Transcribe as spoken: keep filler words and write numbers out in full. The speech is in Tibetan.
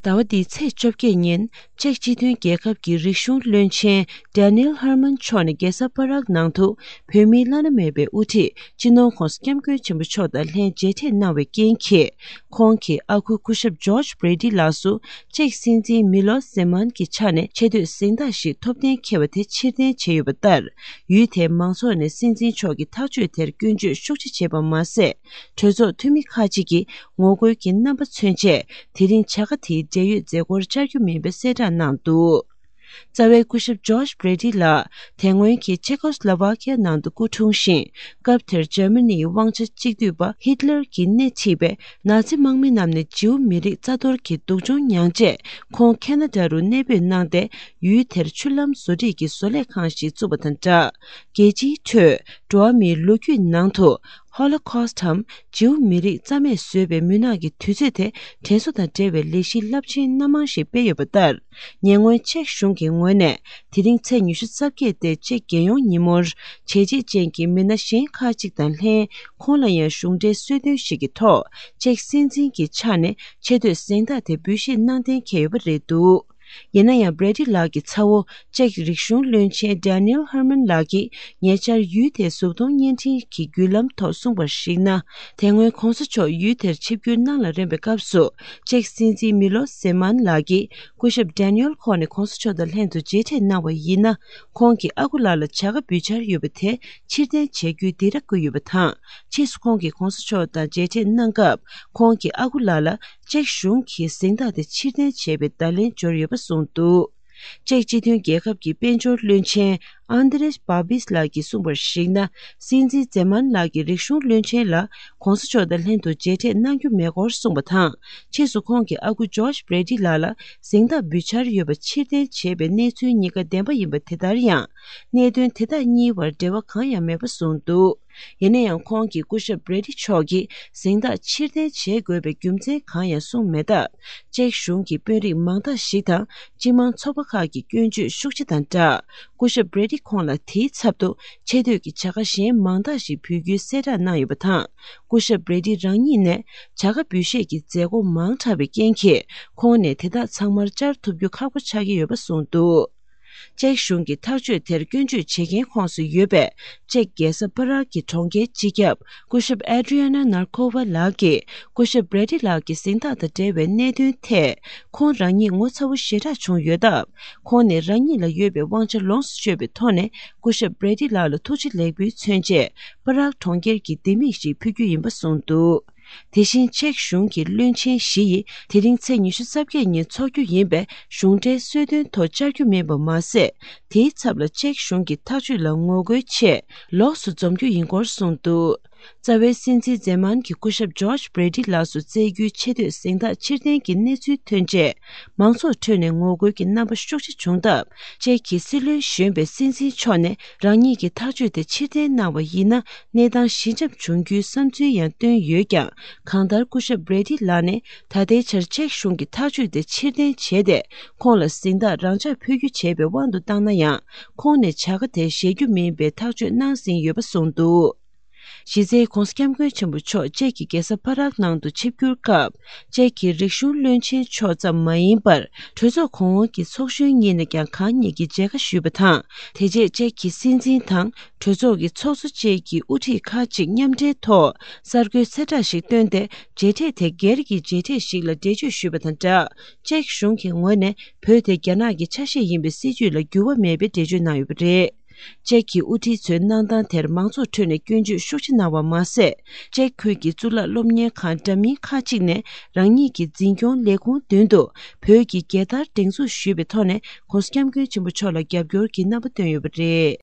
ཟླ་བ་འདིའི་ཚེས་བཅོ་བརྒྱད་ཉིན་ཅེཀ་སྤྱི་མཐུན་རྒྱལ་ཁབ་ཀྱི་རིག་གཞུང་བློན་ཆེན་Daniel Herman་མཆོག་ནས་རྒྱལ་ས་པ་རག་ནང་དུ་བོད་མིའི་བླ་ན་མེད་པའི་དབུ་ཁྲིད་སྤྱི་ནོར་༧གོང་ས་༧སྐྱབས་མགོན་ཆེན་པོ་མཆོག་དང་ལྷན་མཇལ་འཕྲད་གནང་བའི་རྐྱེན་གྱིས། ཁོང་གི་ཨ་ཁུ་སྐུ་ཞབས་George Brady་ལགས་སུ་ཅེཀ་སྲིད་འཛིན་Milos Zeman་གྱི་ཆ་ནས་ཆེ་བསྟོད་གཟེངས་རྟགས་ཤིག་ཐོབ་གཏན་འཁེལ་བ་དེ་ཕྱིར་འཐེན་བྱས་ཡོད་པ་ལྟར། ཡུལ་དེའི་མང་ཚོགས་ནས་སྲིད་འཛིན་མཆོག་གི་ཐག་གཅོད་དེར་སྐྱོན་བརྗོད་ཤུགས་ཆེ་བྱས་པ་མ་ཟད། གྲོས་ཚོགས་འཐུས་མི་ཁག་ཅིག་གིས་ངོ་རྒོལ་གྱི་རྣམ་པ་མཚོན་ཆེད། དེ་རིང་བྱ་དགའ་དེའི་འབྲེལ་ཡོད་མཛད་སྒོར་བཅར་རྒྱུ་མིན་པའི་གསལ་བསྒྲགས་གནང་འདུག། རྩ་བའི་སྐུ་ཞབས་George Brady་ལགས་དེ་སྔོན་གྱི་ཆེ་ཀོ་སི་ལོ་ཝ་ཁི་ཡ་ནང་དུ་སྐུ་འཁྲུངས་ཤིང་། སྐབས་དེར་འཇར་མ་ནིའི་དབང་ཆ་གཅིག་སྡུད་པ་ཧི་ཏི་ལར་གྱིས་སྣེ་ཁྲིད་པའི་ནཱ་ཛི་དམག་མི་རྣམས་ནས་ཇིའུ་མི་རིགས་རྩ་གཏོར་གྱི་སྡུག་སྦྱོང་མྱངས་རྗེས། ཁོང་ཁེ་ན་ཌ་རུ་གནས་སྤོས་གནང་སྟེ། ཡུལ་དེར་ཆུ་ལམ་བཟོ་སྒྲིག་གི་བཟོ་ལས་ཁང་ཞིག་བཙུགས་པ་དང་སྦྲགས། རྒྱལ་སྤྱིའི་ཁྲོད་འགྲོ་བ་མིའི་ལོ་རྒྱུས་ནང་དུ་Holocaust་འམ་ཇིའུ་མི་རིགས་རྩ་མེད་བཟོས་པའི་མུན་ནག་གི་དུས་ཚོད་དེ་དྲན་གསོ་དང་འབྲེལ་བའི་ལས་གཞི་རླབས་ཆེན་སྣ་མང་ཞིག་སྤེལ་ཡོད་པ་ལྟར། ཉེ་སྔོན་ཅེཀ་གཞུང་གི་ངོས་ནས་དེ་རིང་ཚེས་ཉི་ཤུ་རྩ་བརྒྱད་སྟེ་ཅེཀ་རྒྱལ་ཡོངས་ཉིན་མོར་བྱས་རྗེས་ཅན་གྱི་མི་སྣ་གཞན་ཁག་ཅིག་དང་ལྷན་ཁོང་ལ་ཡང་གཞུང་འབྲེལ་གསོལ་སྟོན་ཞིག་གི་ཐོག་ཅེཀ་སྲིད་འཛིན་གྱི་ཆ་ནས་ཆེ་བསྟོད་གཟེངས་རྟགས་དེ་འབུལ་བཞེས་གནང་གཏན་འཁེལ་ཡོད་པ་རེད་འདུག། ཡིན་ན་ཡང་Brady་ལགས་ཀྱི་ཚ་བོ་ཅེཀ་རིག་གཞུང་བློན་ཆེན་Daniel Herman་ལགས་ཀྱིས་ཉེ་ཆར་ཡུལ་དེའི་གཟུགས་མཐོང་བརྙན་འཕྲིན་གྱི་བརྒྱུད་ལམ་ཐོག་གསུངས་པར་གཞིགས་ན། དེ་སྔོན་གོང་ས་མཆོག་ཡུལ་དེར་ཆིབས་བསྒྱུར་གནང་ལ་རན་པའི་སྐབས་སུ་ཅེཀ་སྲིད་འཛིན་Milos Zeman་ལགས་ཀྱིས་སྐུ་ཞབས་Daniel་ཁོང་ནས་གོང་ས་མཆོག་དང་ལྷན་དུ་མཇལ་འཕྲད་གནང་བ་ཡིན་ན། ཁོང་གི་ཨ་ཁུ་ལགས་ལ་བྱ་དགའ་འབུལ་འཆར་ཡོད་པ་དེ་ཕྱིར་འཐེན་བྱ་རྒྱུའི་སྡིགས་ར་བསྐུལ་ཡོད་པ་དང་། ཕྱིས་སུ་ཁོང་གིས་གོང་ས་མཆོག་དང་མཇལ་འཕྲད་གནང་སྐབས་ཁོང་གི་ཨ་ཁུ་ལགས་ལ། ཅེཀ་གཞུང་གིས་གཟེངས་རྟགས་དེ་ཕྱིར་འཐེན་བྱས་པའི་བརྡ་ལན་འབྱོར་ཡོད་པ་གསུངས་འདུག། ཅེཀ་སྤྱི་མཐུན་རྒྱལ་ཁབ་ཀྱི་དཔལ་འབྱོར་བློན་ཆེན་Andrej Babis་ལགས་ཀྱིས་གསུངས་པར་གཞིགས་ན། སྲིད་འཛིན་ཛེ་མཱན་ལགས་ཀྱིས་རིག་གཞུང་བློན་ཆེན་ལ་གོང་ས་མཆོག་དང་ལྷན་དུ་མཇལ་འཕྲད་གནང་རྒྱུ་མེད་སྐོར་གསུངས་པ་དང་། ཕྱིས་སུ་ཁོང་གི་ཨ་ཁུ་George Brady་ལགས་ལ་གཟེངས་རྟགས་འབུལ་འཆར་ཡོད་པ་ཕྱིར་འཐེན་བྱས་པའི་གནས་ཚུལ་གཉིས་ཀ་བདེན་པ་ཡིན་པ་དེ་ལྟར་ཡང་། གནད་དོན་དེ་དག་གཉིས་བར་འབྲེལ་བ་གང་ཡང་མེད་པ་གསུངས་འདུག། ཡིན་ན་ཡང་ཁོང་གིས་སྐུ་ཞབས་བྷི་རེ་ཏི་མཆོག་གིས་གཟེངས་རྟགས་ཕྱིར་འཐེན་བྱེད་དགོས་པའི་རྒྱུ་མཚན་གང་ཡང་གསུངས་མེད་སྟབས། ཅེཀ་གཞུང་གི་དཔོན་རིགས་མང་དག་ཞིག་དང་སྤྱི་དམངས་ཚོགས་པ་ཁག་གིས་སྐྱོན་བརྗོད་ཤུགས་ཆེ་དང་སྦྲགས། སྐུ་ཞབས་བྷི་རེ་ཏི་ཁོང་ལ་དེའི་ཚབ་ཏུ་ཆེ་བསྟོད་ཀྱི་བྱ་དགའ་གཞན་མང་དག་ཞིག་འབུལ་རྒྱུའི་གསལ་བསྒྲགས་གནང་ཡོད་པ་དང་། སྐུ་ཞབས་བྷི་རེ་ཏི་རང་ཉིད་ནས་བྱ་དགའ་འབུལ་བཞེས་ཀྱི་མཛད་སྒོ་མང་དྲགས་པའི་རྐྱེན་གྱིས། ཁོང་ནས་དེ་དག་ཚང་མར་བཅར་ཐུབ་རྒྱུ་ཁག་པོ་ཆགས་ཀྱི་ཡོད་པ་གསུངས་འདུག། ཅེཀ་གཞུང་གི་ཐག་གཅོད་དེར་སྐྱོན་བརྗོད་བྱེད་མཁན་ཁོངས་སུ་ཡོད་པའི་ཅེཀ་རྒྱལ་ས་པ་རག་གི་གྲོང་ཁྱེར་སྤྱི་ཁྱབ་སྐུ་ཞབས་Adriana Narkova་ལགས་ཀྱིས་སྐུ་ཞབས་བྷི་རེ་ཏི་ལགས་ཀྱི་གཟེངས་རྟགས་དང་འབྲེལ་བའི་གནད་དོན་ཐད་ཁོང་རང་ཉིད་ངོ་ཚ་བོ་ཞེ་དྲག་བྱུང་ཡོད་སྟབས། ཁོང་ནས་རང་ཉིད་ལ་ཡོད་པའི་དབང་ཆ་ལོངས་སུ་སྤྱོད་པའི་ཐོག་ནས་སྐུ་ཞབས་བྷི་རེ་ཏི་ལགས་ལ་ཐུགས་རྗེ་ལེགས་འབུལ་མཚོན་ཆེད་པ་རག་གྲོང་ཁྱེར་གྱི་ལྡེ་མིག་ཞིག་ཕུལ་རྒྱུ་ཡིན་པ་གསུངས་འདུག། དེ་བཞིན་ཅེཀ་གཞུང་གི་བློན་ཆེན་བཞི་ཡིས་དེ་རིང་ཚེས་ཉི་ཤུ་རྩ་བརྒྱད་ཉིན་འཚོགས་རྒྱུ་ཡིན་པའི་གཞུང་འབྲེལ་གསོལ་སྟོན་ཐོག་བཅར་རྒྱུ་མིན་པ་མ་ཟད། དེའི་ཚབ་ལ་ཅེཀ་གཞུང་གི་ཐག་གཅོད་ལ་ངོ་རྒོལ་ཆེད་ལོགས་སུ་འཛོམས་རྒྱུ་ཡིན་སྐོར་གསུངས་འདུག། རྩ་བའི་སྲིད་འཛིན་ཛེ་མཱན་གྱིས་སྐུ་ཞབས་George Brady་ལགས་སུ་སྩལ་རྒྱུའི་ཆེ་བསྟོད་གཟེངས་རྟགས་ཕྱིར་འཐེན་གྱི་གནས་ཚུལ་ཐོན་རྗེས། མང་ཚོགས་ཁྲོད་ནས་ངོ་རྒོལ་གྱི་རྣམ་པ་ཤུགས་ཆེ་བྱུང་སྟབས། ཅེཀ་གི་སྲིད་བློན་གཞོན་པའི་སྲིད་འཛིན་མཆོག་ནས་རང་ཉིད་ཀྱི་ཐག་གཅོད་དེ་ཕྱིར་འཐེན་གནང་བ་ཡིན་ན། གནས་སྟངས་ཞི་འཇམ་བྱུང་རྒྱུའི་བསམ་ཚུལ་ཡང་བཏོན་ཡོད་ཀྱང་། གང་ལྟར་སྐུ་ཞབས་བྷི་རེ་ཏི་ལགས་ནས་ད་ལྟའི་ཆར་ཅེཀ་གཞུང་གི་ཐག་གཅོད་དེ་ཕྱིར་འཐེན་བྱས་ཏེ། ཁོང་ལ་གཟེངས་རྟགས་རང་འཇགས་ཕུལ་རྒྱུ་བྱས་པའི་དབང་དུ་བཏང་ན་ཡང་། ཁོང་ནས་བྱ་དགའ་དེ་བཞེས་རྒྱུ་མིན་པའི་ཐག་གཅོད་གནང་ཟིན་ཡོད་པ་གསུངས་འདུག། གཞི་རྩའི་༧གོང་ས་༧སྐྱབས་མགོན་ཆེན་པོ་མཆོག་ཅེཀ་གི་རྒྱལ་ས་པ་རག་ནང་དུ་ཆིབས་བསྒྱུར་སྐབས། ཅེཀ་གི་རིག་གཞུང་བློན་ཆེན་མཆོག་ཙམ་མ་ཡིན་པར། གྲོས་ཚོགས་གོང་འོག་གི་ཚོགས་གཞོན་གཉིས་ནས་ཀྱང་གང་ཉིད་ཀྱིས་མཇལ་ཁ་ཞུས་པ་དང་། དེ་རྗེས་ཅེཀ་གི་སྲིད་འཛིན་དང་གྲོས་ཚོགས་ཀྱི་ཚོགས་གཙོ་བཅས་ཀྱི་དབུ་ཁྲིད་ཁག་ཅིག་མཉམ་འབྲེལ་ཐོག་གསར་འགོད་གསལ་བསྒྲགས་ཤིག་བཏོན་ཏེ། མཇལ་འཕྲད་དེ་སྒེར་གྱི་མཇལ་འཕྲད་ཞིག་ལ་འགྲེལ་བརྗོད་ཞུས་པ་དང་སྦྲགས། ཅེཀ་གཞུང་གི་ངོས་ནས་བོད་དེ་རྒྱ་ནག་གི་ཆ་ཤས་ཡིན་པའི་སྲིད་ཇུས་ལ་འགྱུར་བ་མེད་པའི་འགྲེལ་བརྗོད་གནང་ཡོད་པ་རེད། ཅེཀ་གི་དབུ་ཁྲིད་ཚོའི་གནང་སྟངས་དེར་མང་ཚོགས་ཁྲོད་ནས་སྐྱོན་བརྗོད་ཤུགས་ཆེ་གནང་བ་མ་ཟད། ཅེཀ་ཁུལ་གྱི་གཙུག་ལག་སློབ་གཉེར་ཁང་འདྲ་མིན་ཁག་ཅིག་ནས་རང་ཉིད་ཀྱི་འཛིན་སྐྱོང་ལས་ཁུངས་མདུན་དུ་བོད་ཀྱི་རྒྱལ་དར་སྒྲེང་འཛུགས་ཞུས་པའི་ཐོག་ནས་༧གོང་ས་༧སྐྱབས་མགོན་ཆེན་པོ་མཆོག་ལ་རྒྱབ་སྐྱོར་གྱི་རྣམ་པ་བཏོན་ཡོད་པ་རེད།